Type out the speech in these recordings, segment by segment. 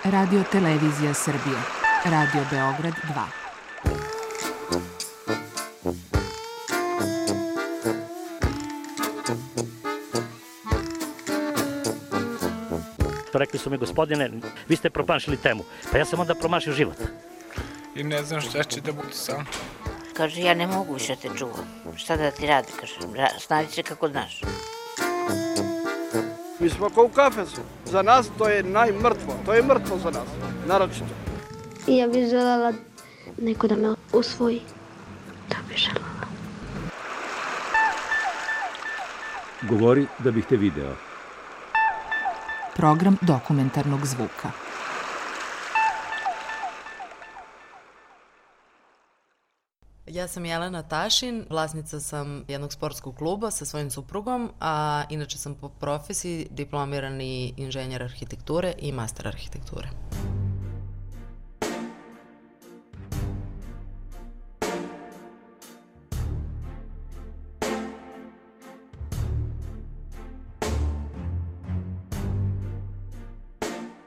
Radio Televizija Srbije. Radio Beograd 2. Rekli su mi, gospodine, vi ste promašili temu. Pa ja sam onda promašio život. I ne znam šta će da bude sam. Kaže, ja ne mogu više te čuvam. Šta da ti radi, kaže, snađi se kako znaš. Mi smo kao u kafesu. Za nas to je najmrtvo. To je mrtvo za nas, naročito. I ja bih želela neko da me usvoji. To bih želela. Govori da bih te video. Program dokumentarnog zvuka. Ja sam Jelena Tašin, vlasnica sam jednog sportskog kluba sa svojim suprugom, a inače sam po profesiji diplomirani inženjer arhitekture i master arhitekture.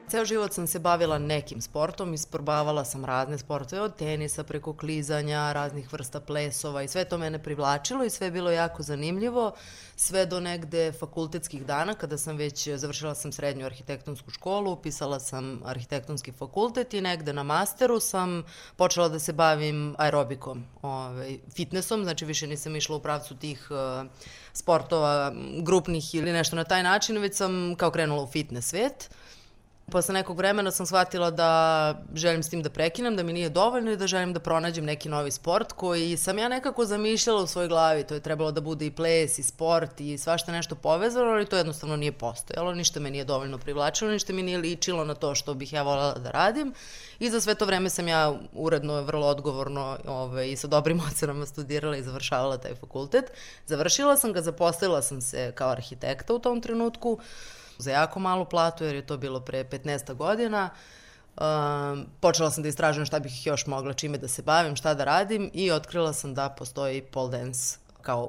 Ceo život sam se bavila nekim sportom, isprobavala sam razne sportove, od tenisa preko klizanja, raznih vrsta plesova i sve to mene privlačilo i sve je bilo jako zanimljivo, sve do negde fakultetskih dana kada sam već završila sam srednju arhitektonsku školu, upisala sam arhitektonski fakultet i negde na masteru sam počela da se bavim aerobikom, fitnessom, znači više nisam išla u pravcu tih sportova grupnih ili nešto na taj način, već sam kao krenula u fitness svet. Posle nekog vremena sam shvatila da želim s tim da prekinem, da mi nije dovoljno i da želim da pronađem neki novi sport koji sam ja nekako zamišljala u svojoj glavi. To je trebalo da bude i ples i sport i svašta nešto povezano, ali to jednostavno nije postojalo. Ništa me nije dovoljno privlačilo, ništa mi nije ličilo na to što bih ja voljela da radim. I za sve to vreme sam ja uredno, vrlo odgovorno i sa dobrim ocenama studirala i završavala taj fakultet. Završila sam ga, zaposlila sam se kao arhitekta u tom trenutku, za jako malu platu, jer je to bilo pre 15 godina. Počela sam da istražujem šta bih još mogla, čime da se bavim, šta da radim i otkrila sam da postoji pole dance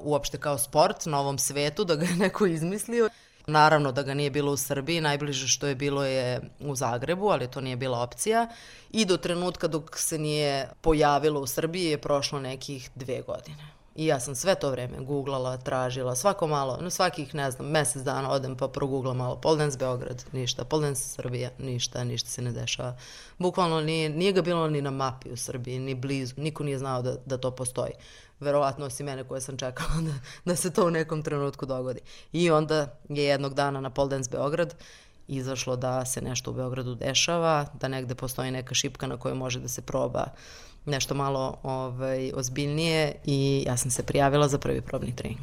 uopšte kao sport na ovom svetu, da ga je neko izmislio. Naravno da ga nije bilo u Srbiji, najbliže što je bilo je u Zagrebu, ali to nije bila opcija. I do trenutka dok se nije pojavilo u Srbiji je prošlo nekih 2 godine. I ja sam sve to vreme googlala, tražila, svako malo, svakih, ne znam, mesec dana odem pa progooglam malo, pole dance Beograd, ništa, pole dance Srbija, ništa se ne dešava. Bukvalno nije ga bilo ni na mapi u Srbiji, ni blizu, niko nije znao da to postoji. Verovatno osim mene koje sam čekala da se to u nekom trenutku dogodi. I onda je jednog dana na pole dance Beograd izašlo da se nešto u Beogradu dešava, da negde postoji neka šipka na kojoj može da se proba nešto malo ozbiljnije i ja sam se prijavila za prvi probni trening.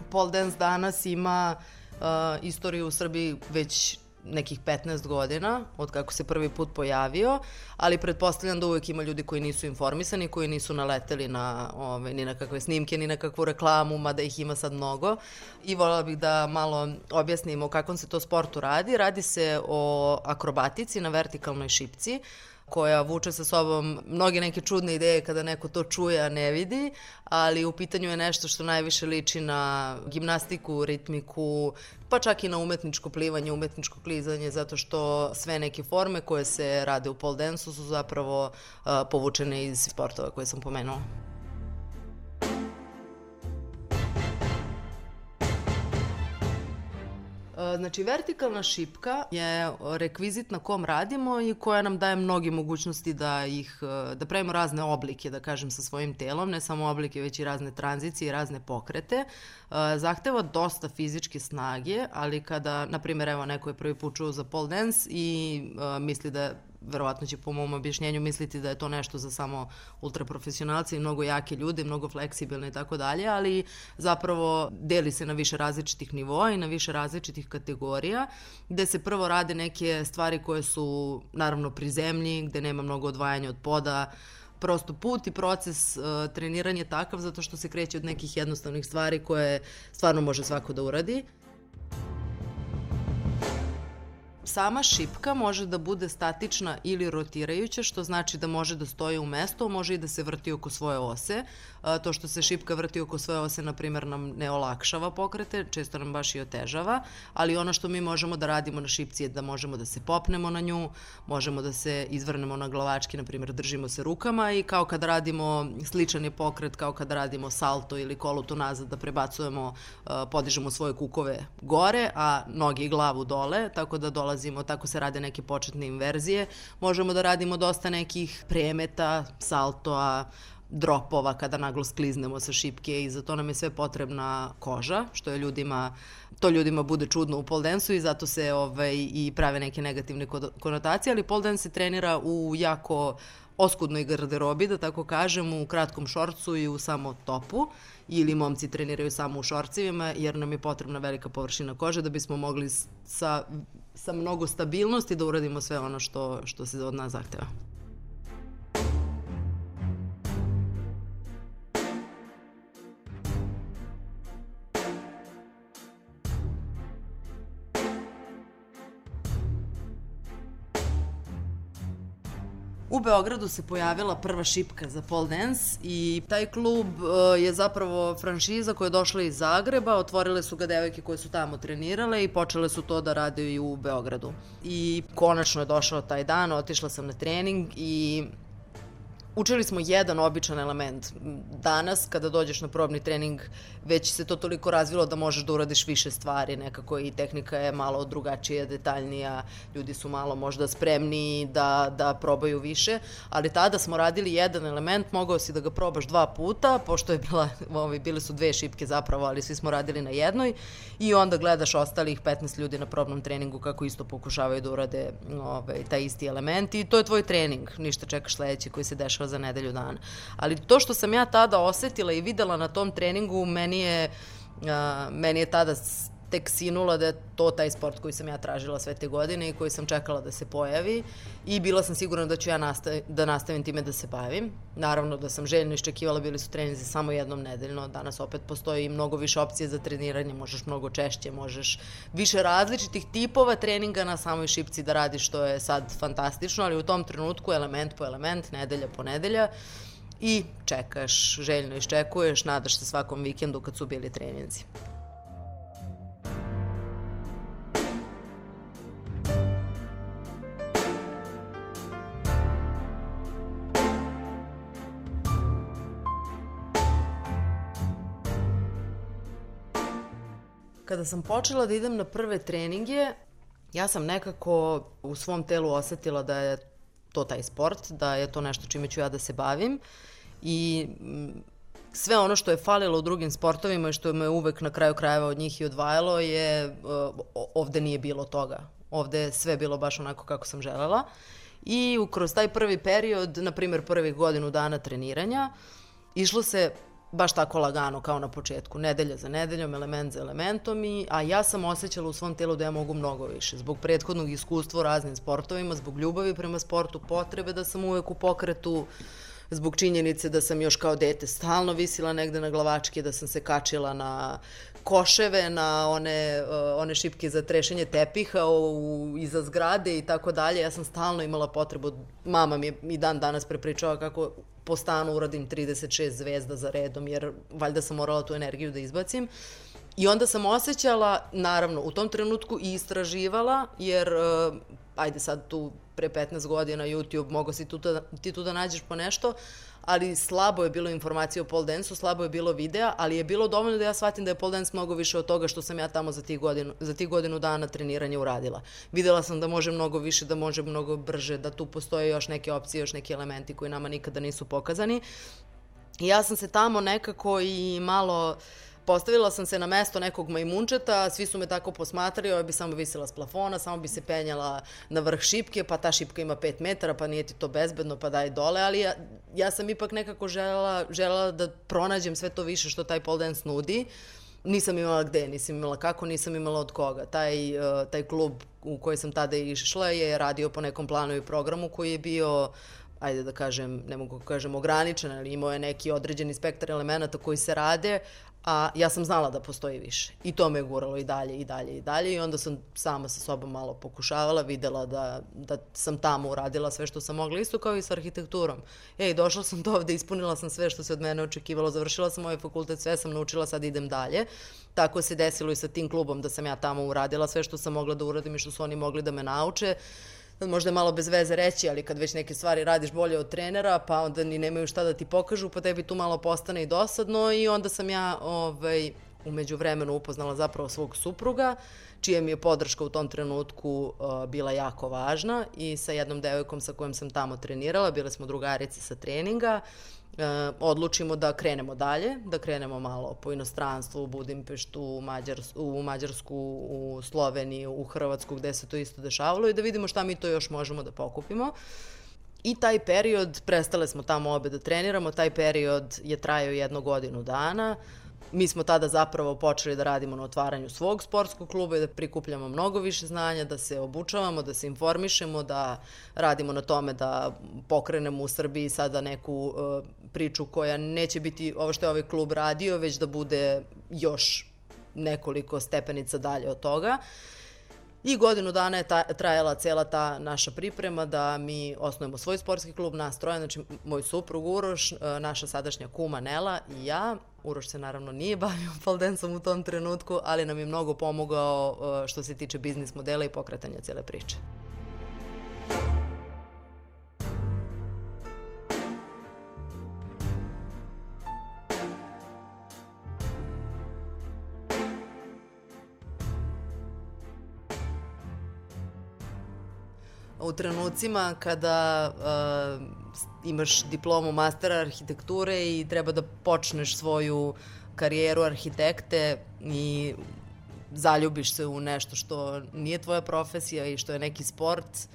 Pole dance danas ima istoriju u Srbiji već nekih 15 godina, od kako se prvi put pojavio, ali pretpostavljam da uvek ima ljudi koji nisu informisani, koji nisu naleteli ni na kakve snimke, ni na kakvu reklamu, mada ih ima sad mnogo. I voljela bih da malo objasnim o kakvom se to sportu radi. Radi se o akrobatici na vertikalnoj šipci, koja vuče sa sobom mnoge neke čudne ideje kada neko to čuje, a ne vidi, ali u pitanju je nešto što najviše liči na gimnastiku, ritmiku, pa čak i na umetničko plivanje, umetničko klizanje, zato što sve neke forme koje se rade u pole dance-u su zapravo povučene iz sportova koje sam pomenula. Znači, vertikalna šipka je rekvizit na kom radimo i koja nam daje mnoge mogućnosti da pravimo razne oblike, da kažem, sa svojim telom, ne samo oblike, već i razne tranzicije i razne pokrete. Zahteva dosta fizičke snage, ali kada, na primjer, evo, neko je prvi put čuo za pole dance i misli da verovatno će po mom objašnjenju misliti da je to nešto za samo ultraprofesionalce i mnogo jake ljude, mnogo fleksibilne i tako dalje, ali zapravo deli se na više različitih nivoa i na više različitih kategorija, gde se prvo rade neke stvari koje su naravno pri zemlji, gde nema mnogo odvajanja od poda, prosto put i proces treniranja je takav zato što se kreće od nekih jednostavnih stvari koje stvarno može svako da uradi. sama šipka može da bude statična ili rotirajuća, što znači da može da stoji u mestu, može i da se vrti oko svoje ose. To što se šipka vrti oko svoje ose, na primjer, nam ne olakšava pokrete, često nam baš i otežava, ali ono što mi možemo da radimo na šipci je da možemo da se popnemo na nju, možemo da se izvrnemo na glavački, na primjer, držimo se rukama i kao kada radimo, sličan je pokret kao kada radimo salto ili kolutu nazad, da prebacujemo, podižemo svoje kukove gore, a noge i glavu dole, tako da dolazimo, tako se rade neke početne inverzije. Možemo da radimo dosta nekih premeta, saltoa, dropova kada naglo skliznemo sa šipke i za to nam je sve potrebna koža, što je ljudima bude čudno u pole dansu i zato se i prave neke negativne konotacije, ali pole dance se trenira u jako oskudnoj garderobi, da tako kažem, u kratkom šorcu i u samo topu, ili momci treniraju samo u šorcivima, jer nam je potrebna velika površina kože da bismo mogli sa mnogo stabilnosti da uradimo sve ono što se od nas zahteva. U Beogradu se pojavila prva šipka za pole dance i taj klub je zapravo franšiza koja je došla iz Zagreba, otvorile su ga devojke koje su tamo trenirale i počele su to da rade i u Beogradu. I konačno je došao taj dan, otišla sam na trening i učili smo jedan običan element. Danas, kada dođeš na probni trening, već se to toliko razvilo da možeš da uradiš više stvari, nekako i tehnika je malo drugačija, detaljnija, ljudi su malo možda spremniji da probaju više, ali tada smo radili jedan element, mogao si da ga probaš 2 puta, pošto je bile su 2 šipke zapravo, ali svi smo radili na jednoj i onda gledaš ostalih 15 ljudi na probnom treningu kako isto pokušavaju da urade taj isti element i to je tvoj trening, ništa čekaš sledeći koji se dešava za nedelju dana. Ali to što sam ja tada osetila i videla na tom treningu, meni je tada tek sinula da je to taj sport koji sam ja tražila sve te godine i koji sam čekala da se pojavi i bila sam sigurna da ću ja da nastavim time da se bavim. Naravno da sam željno iščekivala, bili su treninzi samo jednom nedeljno, danas opet postoji mnogo više opcije za treniranje, možeš mnogo češće, možeš više različitih tipova treninga na samoj šipci da radiš, što je sad fantastično, ali u tom trenutku element po element, nedelja po nedelja i čekaš, željno iščekuješ, nadaš se svakom vikendu kad su bili treninzi. Kada sam počela da idem na prve treninge, ja sam nekako u svom telu osetila da je to taj sport, da je to nešto čime ću ja da se bavim i sve ono što je falilo u drugim sportovima i što me uvek na kraju krajeva od njih i odvajalo je, ovde nije bilo toga. Ovde je sve bilo baš onako kako sam želela i kroz taj prvi period, na primjer prvih godinu dana treniranja, išlo se baš tako lagano kao na početku, nedelja za nedeljom, element za elementom, a ja sam osjećala u svom telu da ja mogu mnogo više. Zbog prethodnog iskustva u raznim sportovima, zbog ljubavi prema sportu, potrebe da sam uvek u pokretu, zbog činjenice da sam još kao dete stalno visila negde na glavačke, da sam se kačila na koševe, na one šipke za trešenje tepiha iza zgrade i tako dalje. Ja sam stalno imala potrebu, mama mi je i dan danas prepričava kako po stanu uradim 36 zvezda za redom, jer valjda sam morala tu energiju da izbacim. I onda sam osjećala, naravno, u tom trenutku i istraživala, jer, ajde sad tu pre 15 godina YouTube, mogo si ti tu da nađeš po nešto, ali slabo je bilo informacije o pole dance-u, slabo je bilo videa, ali je bilo dovoljno da ja shvatim da je pole dance mnogo više od toga što sam ja tamo za tih godinu dana treniranja uradila. Videla sam da može mnogo više, da može mnogo brže, da tu postoje još neke opcije, još neki elementi koji nama nikada nisu pokazani. I ja sam se tamo nekako i malo postavila sam se na mesto nekog majmunčeta, svi su me tako posmatrali, ovo bi samo visila s plafona, samo bi se penjala na vrh šipke, pa ta šipka ima 5 metara, pa nije ti to bezbedno, pa daj dole, ali ja sam ipak nekako želela da pronađem sve to više što taj pole dance nudi. Nisam imala gde, nisam imala kako, nisam imala od koga. Taj klub u koji sam tada išla je radio po nekom planu i programu koji je bio ajde da kažem, ne mogu da kažem ograničen, ali imao je neki određeni spektar elemenata koji se rade, a ja sam znala da postoji više. I to me je guralo i dalje, i dalje, i dalje. I onda sam sama sa sobom malo pokušavala, videla da sam tamo uradila sve što sam mogla, isto kao i sa arhitekturom. Došla sam do ovde, ispunila sam sve što se od mene očekivalo, završila sam ovaj fakultet, sve sam naučila, sad idem dalje. Tako se desilo i sa tim klubom da sam ja tamo uradila sve što sam mogla da uradim i što su oni mogli da me nauče. Možda je malo bez veze reći, ali kad već neke stvari radiš bolje od trenera, pa onda ni nemaju šta da ti pokažu, pa tebi tu malo postane i dosadno i onda sam ja umeđu vremenu upoznala zapravo svog supruga, čija mi je podrška u tom trenutku bila jako važna i sa jednom devojkom sa kojom sam tamo trenirala, bile smo drugarice sa treninga, odlučimo da krenemo dalje, da krenemo malo po inostranstvu, u Budimpeštu, u Mađarsku, u Sloveniju, u Hrvatsku, gde se to isto dešavalo i da vidimo šta mi to još možemo da pokupimo. I taj period, prestale smo tamo obe da treniramo, taj period je trajao 1 godinu dana. Mi smo tada zapravo počeli da radimo na otvaranju svog sportskog kluba i da prikupljamo mnogo više znanja, da se obučavamo, da se informišemo, da radimo na tome da pokrenemo u Srbiji sada neku priču koja neće biti ovo što je ovaj klub radio, već da bude još nekoliko stepenica dalje od toga. I godinu dana je trajala cela ta naša priprema da mi osnovimo svoj sportski klub, nas troje, znači moj suprug Uroš, naša sadašnja kuma Nela i ja. Uroš se naravno nije bavio pole danceom u tom trenutku, ali nam je mnogo pomogao što se tiče biznis modela i pokretanja cele priče. U trenucima kada imaš diplomu mastera arhitekture i treba da počneš svoju karijeru arhitekte i zaljubiš se u nešto što nije tvoja profesija i što je neki sport,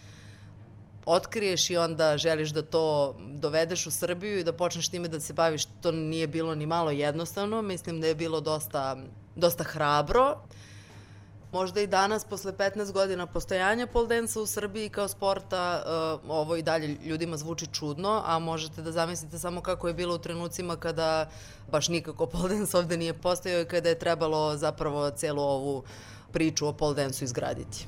otkriješ i onda želiš da to dovedeš u Srbiju i da počneš time da se baviš, to nije bilo ni malo jednostavno, mislim da je bilo dosta hrabro. Možda i danas, posle 15 godina postojanja pole dance-a u Srbiji kao sporta, ovo i dalje ljudima zvuči čudno, a možete da zamislite samo kako je bilo u trenucima kada baš nikako pole dance ovde nije postojao i kada je trebalo zapravo celu ovu priču o pole dance-u izgraditi.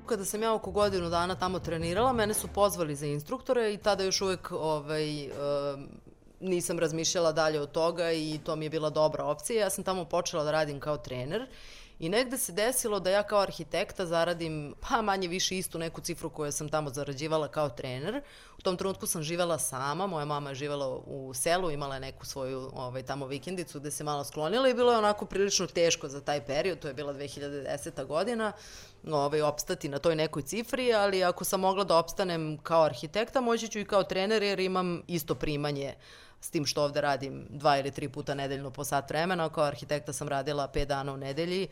Kada sam ja oko godinu dana tamo trenirala, mene su pozvali za instruktore i tada još uvek nisam razmišljala dalje od toga i to mi je bila dobra opcija. Ja sam tamo počela da radim kao trener i negde se desilo da ja kao arhitekta zaradim manje više istu neku cifru koju sam tamo zarađivala kao trener. U tom trenutku sam živela sama, moja mama je živela u selu, imala je neku svoju tamo vikendicu gde se malo sklonila i bilo je onako prilično teško za taj period, to je bila 2010. godina, opstati na toj nekoj cifri, ali ako sam mogla da opstanem kao arhitekta, moći ću i kao trener jer imam isto primanje s tim što ovde radim 2 ili 3 puta nedeljno po sat vremena, kao arhitekta sam radila 5 dana u nedelji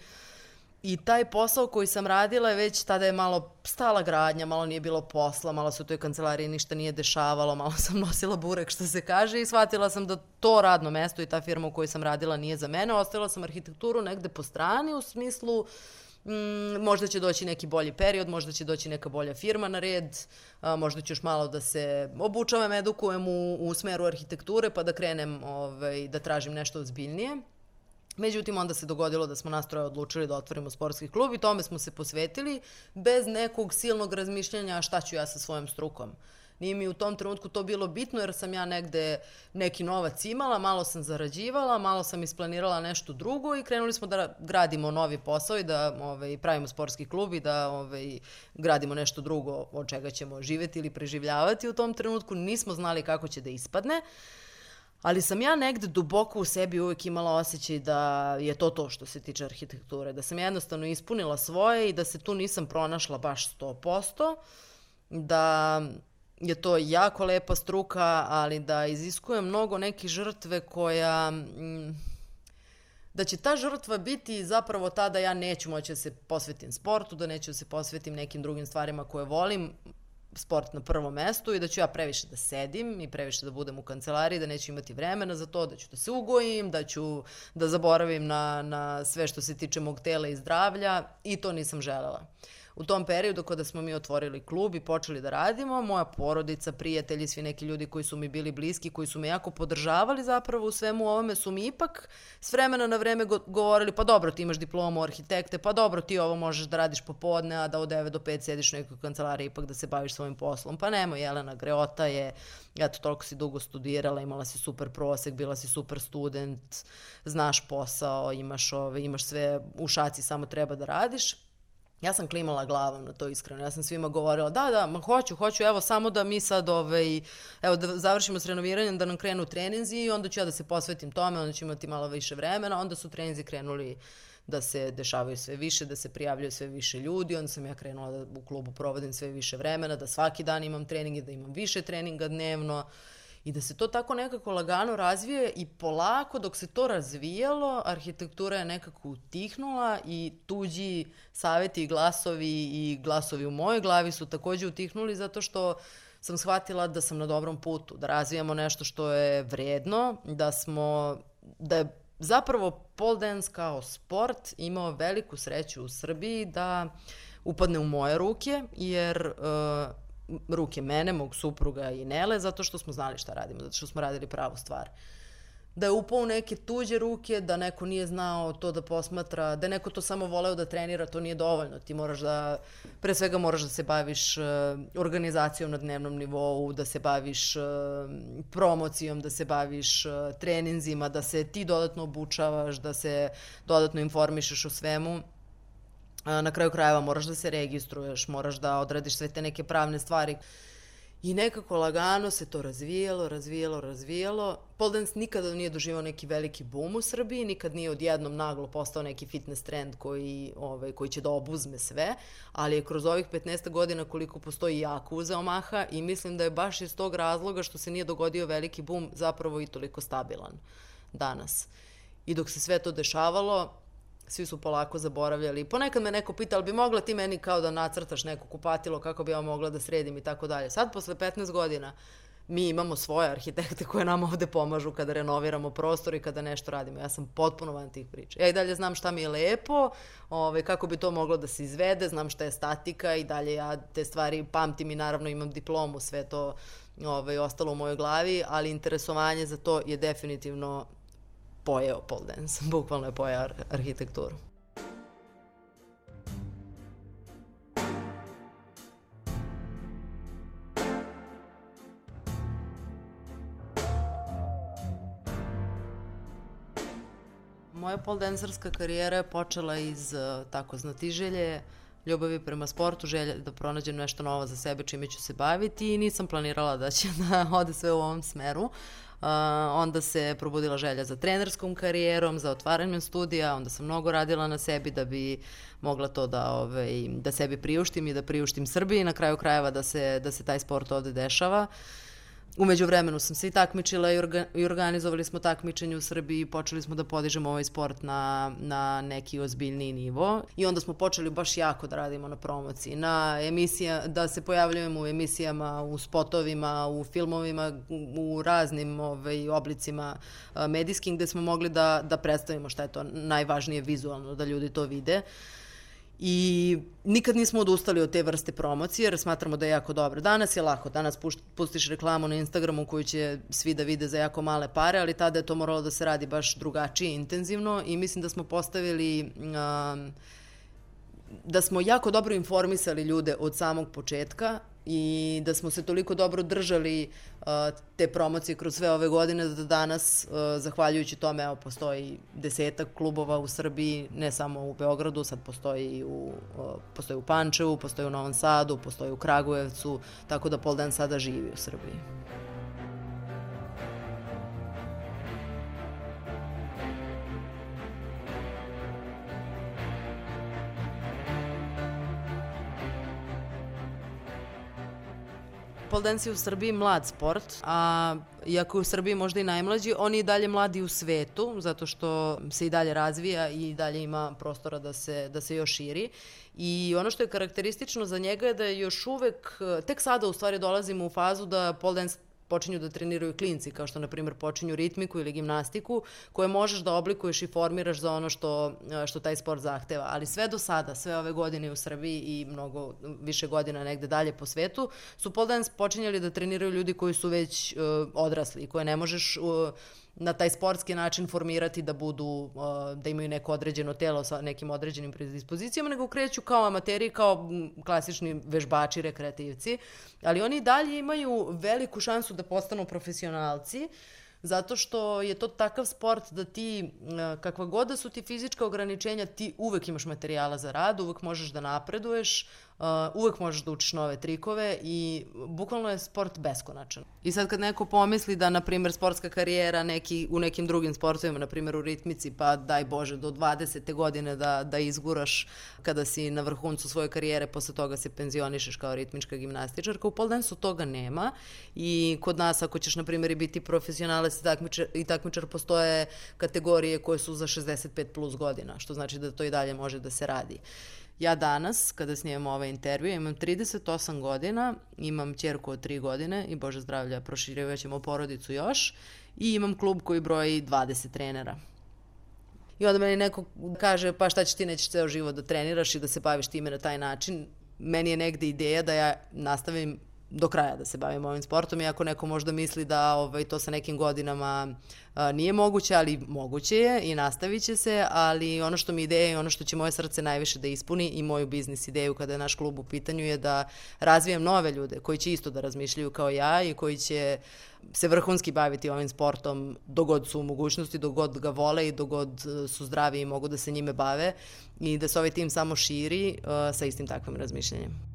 i taj posao koji sam radila je već tada je malo stala gradnja, malo nije bilo posla, malo se u toj kancelariji ništa nije dešavalo, malo sam nosila burek što se kaže i shvatila sam da to radno mesto i ta firma u kojoj sam radila nije za mene, ostavila sam arhitekturu negde po strani u smislu možda će doći neki bolji period, možda će doći neka bolja firma na red, možda ću još malo da se obučavam, edukujem u smeru arhitekture pa da krenem da tražim nešto ozbiljnije. Međutim, onda se dogodilo da smo nas troje odlučili da otvorimo sportski klub i tome smo se posvetili bez nekog silnog razmišljanja šta ću ja sa svojom strukom. Nije mi u tom trenutku to bilo bitno jer sam ja negde neki novac imala, malo sam zarađivala, malo sam isplanirala nešto drugo i krenuli smo da gradimo novi posao i da pravimo sportski klub i da gradimo nešto drugo od čega ćemo živeti ili preživljavati. U tom trenutku nismo znali kako će da ispadne, ali sam ja negde duboko u sebi uvek imala osjećaj da je to što se tiče arhitekture, da sam jednostavno ispunila svoje i da se tu nisam pronašla baš 100%, da je to jako lepa struka, ali da iziskuje mnogo neke žrtve da će ta žrtva biti zapravo ta da ja neću moći da se posvetim sportu, da neću da se posvetim nekim drugim stvarima koje volim. sport na prvom mestu i da ću ja previše da sedim i previše da budem u kancelariji, da neću imati vremena za to, da ću da se ugojim, da ću da zaboravim na sve što se tiče mog tela i zdravlja i to nisam želela. U tom periodu kada smo mi otvorili klub i počeli da radimo, moja porodica, prijatelji, svi neki ljudi koji su mi bili bliski, koji su me jako podržavali zapravo u svemu ovome, su mi ipak s vremena na vreme govorili, pa dobro, ti imaš diplomu arhitekte, pa dobro, ti ovo možeš da radiš popodne, a da od 9 do 5 sediš u nekoj kancelariji ipak da se baviš svojim poslom. Pa nemoj, Jelena, greota je, eto, toliko si dugo studirala, imala si super prosek, bila si super student, znaš posao, imaš sve u šaci, samo treba da radiš. Ja sam klimala glavom na to iskreno, ja sam svima govorila da, ma hoću, evo samo da mi sad, evo da završimo s renoviranjem, da nam krenu treninzi i onda ću ja da se posvetim tome, onda ću imati malo više vremena, onda su treninzi krenuli da se dešavaju sve više, da se prijavljaju sve više ljudi, onda sam ja krenula da u klubu provodim sve više vremena, da svaki dan imam treninge, da imam više treninga dnevno, i da se to tako nekako lagano razvije i polako dok se to razvijalo, arhitektura je nekako utihnula i tuđi savjeti i glasovi u mojoj glavi su takođe utihnuli zato što sam shvatila da sam na dobrom putu, da razvijamo nešto što je vredno, da je zapravo pole dance kao sport imao veliku sreću u Srbiji da upadne u moje ruke, jer ruke mene, mog supruga i Nele, zato što smo znali šta radimo, zato što smo radili pravu stvar. Da je upao u neke tuđe ruke, da neko nije znao to da posmatra, da je neko to samo voleo da trenira, to nije dovoljno. Ti pre svega moraš da se baviš organizacijom na dnevnom nivou, da se baviš promocijom, da se baviš treninzima, da se ti dodatno obučavaš, da se dodatno informišeš o svemu. Na kraju krajeva moraš da se registruješ, moraš da odradiš sve te neke pravne stvari. I nekako lagano se to razvijalo. Pole dance nikada nije doživao neki veliki boom u Srbiji, nikad nije odjednom naglo postao neki fitness trend koji će da obuzme sve, ali je kroz ovih 15 godina koliko postoji jako uzeo maha i mislim da je baš iz tog razloga što se nije dogodio veliki boom zapravo i toliko stabilan danas. I dok se sve to dešavalo, svi su polako zaboravljali. Ponekad me neko pita, ali bi mogla ti meni kao da nacrtaš neko kupatilo kako bi ja mogla da sredim i tako dalje. Sad, posle 15 godina, mi imamo svoje arhitekte koje nam ovde pomažu kada renoviramo prostor i kada nešto radimo. Ja sam potpuno van tih priča. Ja i dalje znam šta mi je lepo, kako bi to moglo da se izvede, znam šta je statika i dalje ja te stvari pamtim i naravno imam diplomu, sve to ostalo u mojoj glavi, ali interesovanje za to je definitivno pojeo pole dance, bukvalno je pojeo arhitekturu. Moja pole dancerska karijera je počela iz tako znatiželje, ljubavi prema sportu, želje da pronađem nešto novo za sebe čime ću se baviti i nisam planirala da će da ode sve u ovom smeru. Onda se probudila želja za trenerskom karijerom, za otvaranjem studija, onda sam mnogo radila na sebi da bi mogla to da sebi priuštim i da priuštim Srbiji, na kraju krajeva da se taj sport ovde dešava. U međuvremenu sam se i takmičila i organizovali smo takmičenje u Srbiji, počeli smo da podižemo ovaj sport na neki ozbiljniji nivo i onda smo počeli baš jako da radimo na promociji, da se pojavljujemo u emisijama, u spotovima, u filmovima, u raznim oblicima medijskim gde smo mogli da predstavimo šta je to najvažnije vizualno, da ljudi to vide. I nikad nismo odustali od te vrste promocije jer smatramo da je jako dobro. Danas je lako, danas pustiš reklamu na Instagramu koju će svi da vide za jako male pare, ali tada je to moralo da se radi baš drugačije, intenzivno i mislim da smo postavili, da smo jako dobro informisali ljude od samog početka i da smo se toliko dobro držali te promocije kroz sve ove godine da danas, zahvaljujući tome, evo, postoji 10 klubova u Srbiji, ne samo u Beogradu, sad postoji u Pančevu, postoji u Novom Sadu, postoji u Kragujevcu, tako da pole dance sada živi u Srbiji. Pole dance je u Srbiji mlad sport, a iako je u Srbiji možda i najmlađi, on je i dalje mladi u svetu, zato što se i dalje razvija i dalje ima prostora da se još širi. I ono što je karakteristično za njega je da je još uvek, tek sada u stvari dolazimo u fazu da pole dance počinju da treniraju klinci, kao što, na primjer, počinju ritmiku ili gimnastiku, koje možeš da oblikuješ i formiraš za ono što taj sport zahteva. Ali sve do sada, sve ove godine u Srbiji i mnogo više godina negde dalje po svetu, su pole dance počinjali da treniraju ljudi koji su već odrasli i koje ne možeš na taj sportski način formirati da budu, da imaju neko određeno telo sa nekim određenim predispozicijama, nego kreću kao amateri, kao klasični vežbači, rekreativci, ali oni dalje imaju veliku šansu da postanu profesionalci, zato što je to takav sport da ti, kakva god da su ti fizička ograničenja, ti uvek imaš materijala za rad, uvek možeš da napreduješ, uvek možeš da učiš nove trikove i bukvalno je sport beskonačan. I sad kad neko pomisli da, na primjer, sportska karijera u nekim drugim sportovima, na primjer u ritmici, pa daj Bože, do 20. godine da izguraš kada si na vrhuncu svoje karijere, posle toga se penzionišeš kao ritmička gimnastičarka, u pole dance-u toga nema i kod nas, ako ćeš, na primjer, biti profesionalac i takmičar, postoje kategorije koje su za 65 plus godina, što znači da to i dalje može da se radi. Ja danas, kada snimamo ovaj intervju, imam 38 godina, imam ćerku od 3 godine i Bože zdravlja, proširivat ćemo porodicu još i imam klub koji broji 20 trenera. I onda meni neko kaže, pa šta ćeš ti, nećeš ceo život da treniraš i da se baviš time na taj način. Meni je negde ideja da ja nastavim do kraja da se bavim ovim sportom, iako neko možda misli da to sa nekim godinama nije moguće, ali moguće je i nastavit će se, ali ono što mi ideja i ono što će moje srce najviše da ispuni i moju biznis ideju kada je naš klub u pitanju je da razvijem nove ljude koji će isto da razmišljaju kao ja i koji će se vrhunski baviti ovim sportom dogod su u mogućnosti, dogod ga vole i dogod su zdravi i mogu da se njime bave i da se ovaj tim samo širi sa istim takvim razmišljanjem.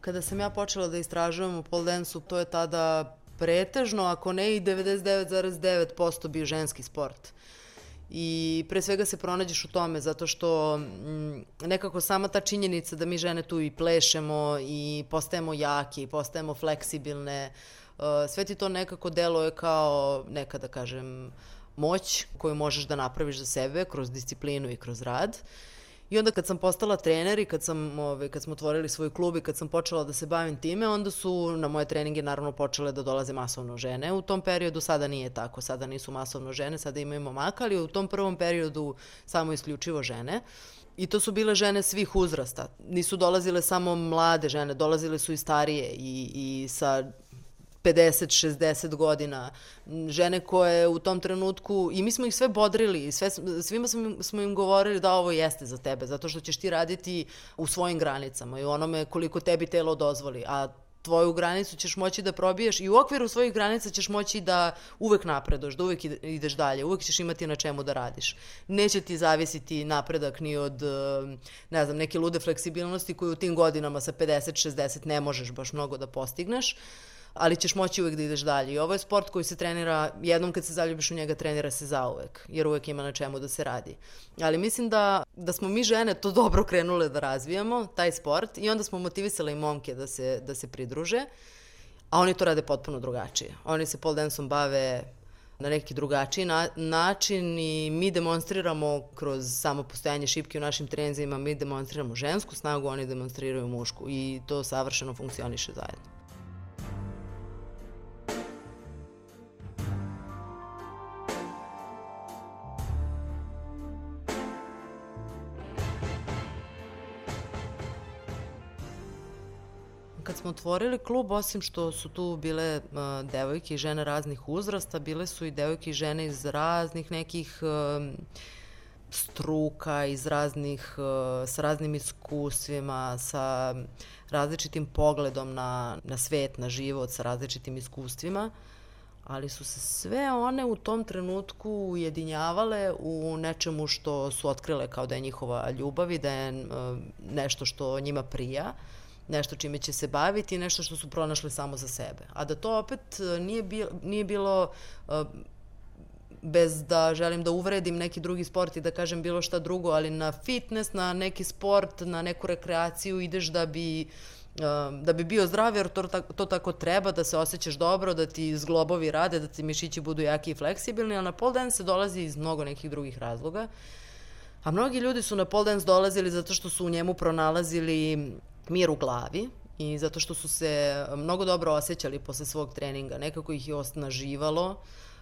Kada sam ja počela da istražujem u pole dance-u, to je tada pretežno, ako ne i 99,9% bio ženski sport. I pre svega se pronađeš u tome, zato što nekako sama ta činjenica da mi žene tu i plešemo i postajemo jake i postajemo fleksibilne, sve ti to nekako deluje kao neka, da kažem, moć koju možeš da napraviš za sebe kroz disciplinu i kroz rad. I onda kad sam postala trener i kad smo otvorili svoj klub i kad sam počela da se bavim time, onda su na moje treninge naravno počele da dolaze masovno žene. U tom periodu sada nije tako, sada nisu masovno žene, sada imaju momaka, ali u tom prvom periodu samo isključivo žene. I to su bile žene svih uzrasta. Nisu dolazile samo mlade žene, dolazile su i starije i sa 50-60 godina, žene koje u tom trenutku, i mi smo ih sve bodrili, svima smo im govorili da ovo jeste za tebe, zato što ćeš ti raditi u svojim granicama i u onome koliko tebi telo dozvoli, a tvoju granicu ćeš moći da probiješ i u okviru svojih granica ćeš moći da uvek napreduješ, da uvek ideš dalje, uvek ćeš imati na čemu da radiš. Neće ti zavisiti napredak ni od, ne znam, neke lude fleksibilnosti koju u tim godinama sa 50-60 ne možeš baš mnogo da postigneš, ali ćeš moći uvek da ideš dalje. I ovo je sport koji se trenira, jednom kad se zaljubiš u njega, trenira se zauvek, jer uvek ima na čemu da se radi. Ali mislim da smo mi žene to dobro krenule da razvijamo, taj sport, i onda smo motivisale i momke da se pridruže, a oni to rade potpuno drugačije. Oni se pole dance-om bave na neki drugačiji način i mi demonstriramo kroz samo postojanje šipke u našim treninzima, mi demonstriramo žensku snagu, oni demonstriraju mušku i to savršeno funkcioniše zajedno. Kad smo otvorili klub, osim što su tu bile devojke i žene raznih uzrasta, bile su i devojke i žene iz raznih nekih struka, sa raznim iskustvima, sa različitim pogledom na svet, na život, sa različitim iskustvima, ali su se sve one u tom trenutku ujedinjavale u nečemu što su otkrile kao da je njihova ljubav i da je nešto što njima prija. nešto čime će se baviti i nešto što su pronašli samo za sebe. A da to opet nije bilo bez da želim da uvredim neki drugi sport i da kažem bilo šta drugo, ali na fitness, na neki sport, na neku rekreaciju ideš da bi bio zdrav, jer to tako treba, da se osjećaš dobro, da ti zglobovi rade, da ti mišići budu jaki i fleksibilni, a na pole dance se dolazi iz mnogo nekih drugih razloga. A mnogi ljudi su na pole dance dolazili zato što su u njemu pronalazili mir u glavi i zato što su se mnogo dobro osjećali posle svog treninga. Nekako ih je osnaživalo,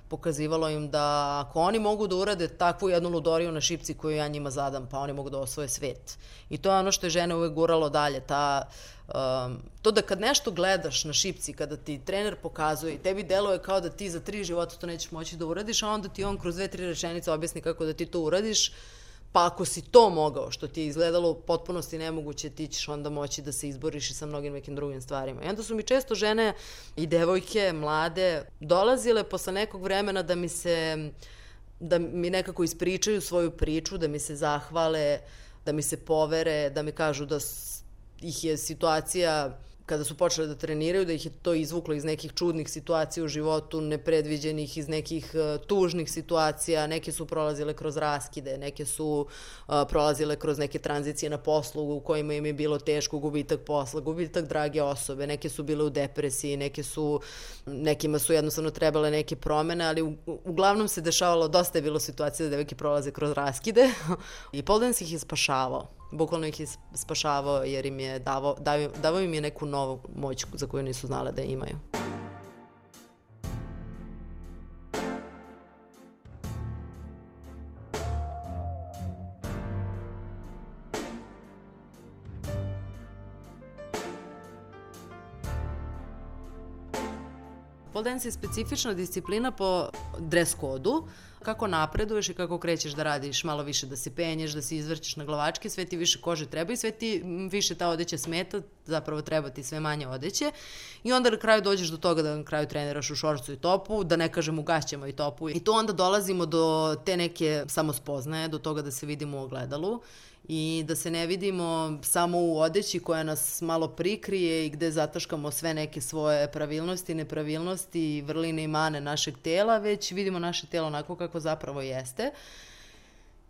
pokazivalo im da ako oni mogu da urade takvu jednu ludoriju na šipci koju ja njima zadam, pa oni mogu da osvoje svet. I to je ono što je žene uvek guralo dalje, to da kad nešto gledaš na šipci, kada ti trener pokazuje i tebi deluje kao da ti za 3 života to nećeš moći da uradiš, a onda ti on kroz 2-3 rečenice objasni kako da ti to uradiš, pa ako si to mogao, što ti je izgledalo u potpunosti nemoguće, ti ćeš onda moći da se izboriš i sa mnogim nekim drugim stvarima. I onda su mi često žene i devojke, mlade, dolazile posle nekog vremena da mi nekako ispričaju svoju priču, da mi se zahvale, da mi se povere, da mi kažu da ih je situacija, kada su počele da treniraju, da ih je to izvuklo iz nekih čudnih situacija u životu, nepredviđenih, iz nekih tužnih situacija. Neke su prolazile kroz raskide, neke su prolazile kroz neke tranzicije na poslu u kojima im je bilo teško, gubitak posla, gubitak drage osobe, neke su bile u depresiji, nekima su jednostavno trebale neke promene, ali uglavnom se dešavalo, dosta je bilo situacija da devojke prolaze kroz raskide i pole dance ih je spašavao. Bukvalno ih je spašavao jer im je davao im je neku novu moć za koju nisu znale da imaju. Pole dance je specifična disciplina po dres kodu. Kako napreduješ i kako krećeš da radiš malo više, da se penješ, da se izvrćeš na glavačke, sve ti više kože treba i sve ti više ta odeća smeta, zapravo treba ti sve manje odeće. I onda na kraju dođeš do toga da na kraju treniraš u šorcu i topu, da ne kažem u gaćama i topu. I tu onda dolazimo do te neke samospoznaje, do toga da se vidimo u ogledalu i da se ne vidimo samo u odeći koja nas malo prikrije i gde zataškamo sve neke svoje pravilnosti, nepravilnosti, vrline i mane našeg tela, već vidimo naše telo onako kako zapravo jeste.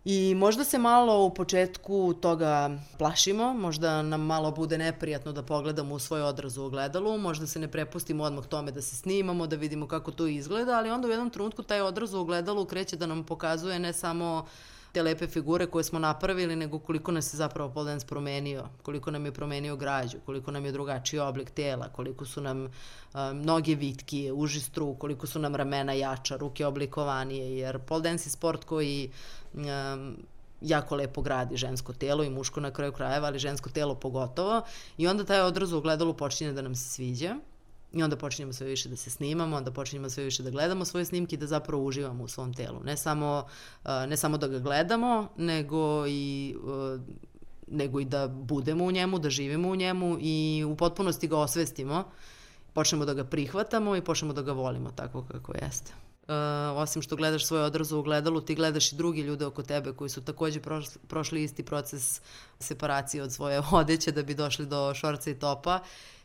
I možda se malo u početku toga plašimo, možda nam malo bude neprijatno da pogledamo u svoj odraz u ogledalu, možda se ne prepustimo odmah tome da se snimamo, da vidimo kako to izgleda, ali onda u jednom trenutku taj odraz u ogledalu kreće da nam pokazuje ne samo te lepe figure koje smo napravili, nego koliko nas je zapravo pole dance promenio, koliko nam je promenio građu, koliko nam je drugačiji oblik tela, koliko su nam noge vitkije, uži struk, koliko su nam ramena jača, ruke oblikovanije, jer pole dance je sport koji jako lepo gradi žensko telo i muško na kraju krajeva, ali žensko telo pogotovo. I onda taj odraz u ogledalu počinje da nam se sviđa. I onda počinjemo sve više da se snimamo, onda počinjemo sve više da gledamo svoje snimke i da zapravo uživamo u svom telu. Ne samo da ga gledamo, nego i da budemo u njemu, da živimo u njemu i u potpunosti ga osvestimo. Počnemo da ga prihvatamo i počnemo da ga volimo tako kako jeste. Osim što gledaš svoj odraz u ogledalu, ti gledaš i drugi ljude oko tebe koji su takođe prošli isti proces separacije od svoje odeće da bi došli do šorca i topa.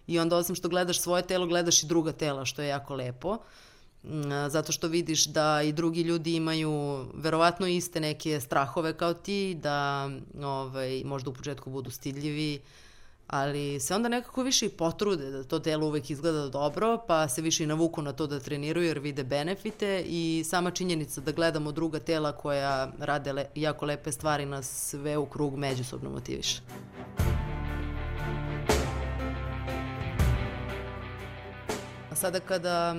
I onda osim što gledaš svoje telo, gledaš i druga tela, što je jako lepo. Zato što vidiš da i drugi ljudi imaju verovatno iste neke strahove kao ti, da možda u početku budu stidljivi, ali se onda nekako više i potrude da to telo uvek izgleda dobro, pa se više i navuku na to da treniraju jer vide benefite i sama činjenica da gledamo druga tela koja rade jako lepe stvari nas sve u krug međusobno motiviše. Sada kada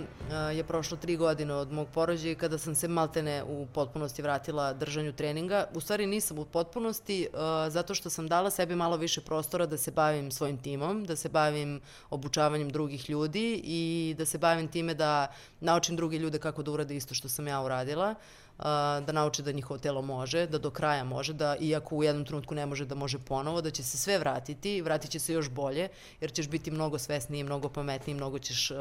je prošlo 3 godine od mog porođaja i kada sam se maltene u potpunosti vratila držanju treninga, u stvari nisam u potpunosti zato što sam dala sebi malo više prostora da se bavim svojim timom, da se bavim obučavanjem drugih ljudi i da se bavim time da naučim druge ljude kako da urade isto što sam ja uradila, da nauče da njihovo telo može, da do kraja može, da iako u jednom trenutku ne može, da može ponovo, da će se sve vratiti, vratit će se još bolje, jer ćeš biti mnogo svesniji, mnogo pametniji, mnogo ćeš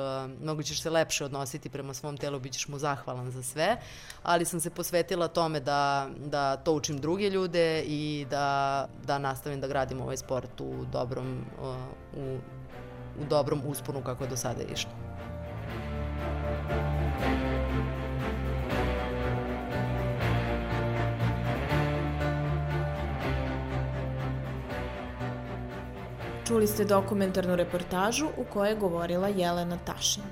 mnogo ćeš se lepše odnositi prema svom telu, bit ćeš mu zahvalan za sve, ali sam se posvetila tome da to učim druge ljude i da nastavim da gradim ovaj sport u dobrom usponu kako je do sada išlo. Čuli ste dokumentarnu reportažu u kojoj je govorila Jelena Tašin.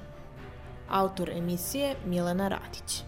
Autor emisije Milena Radić.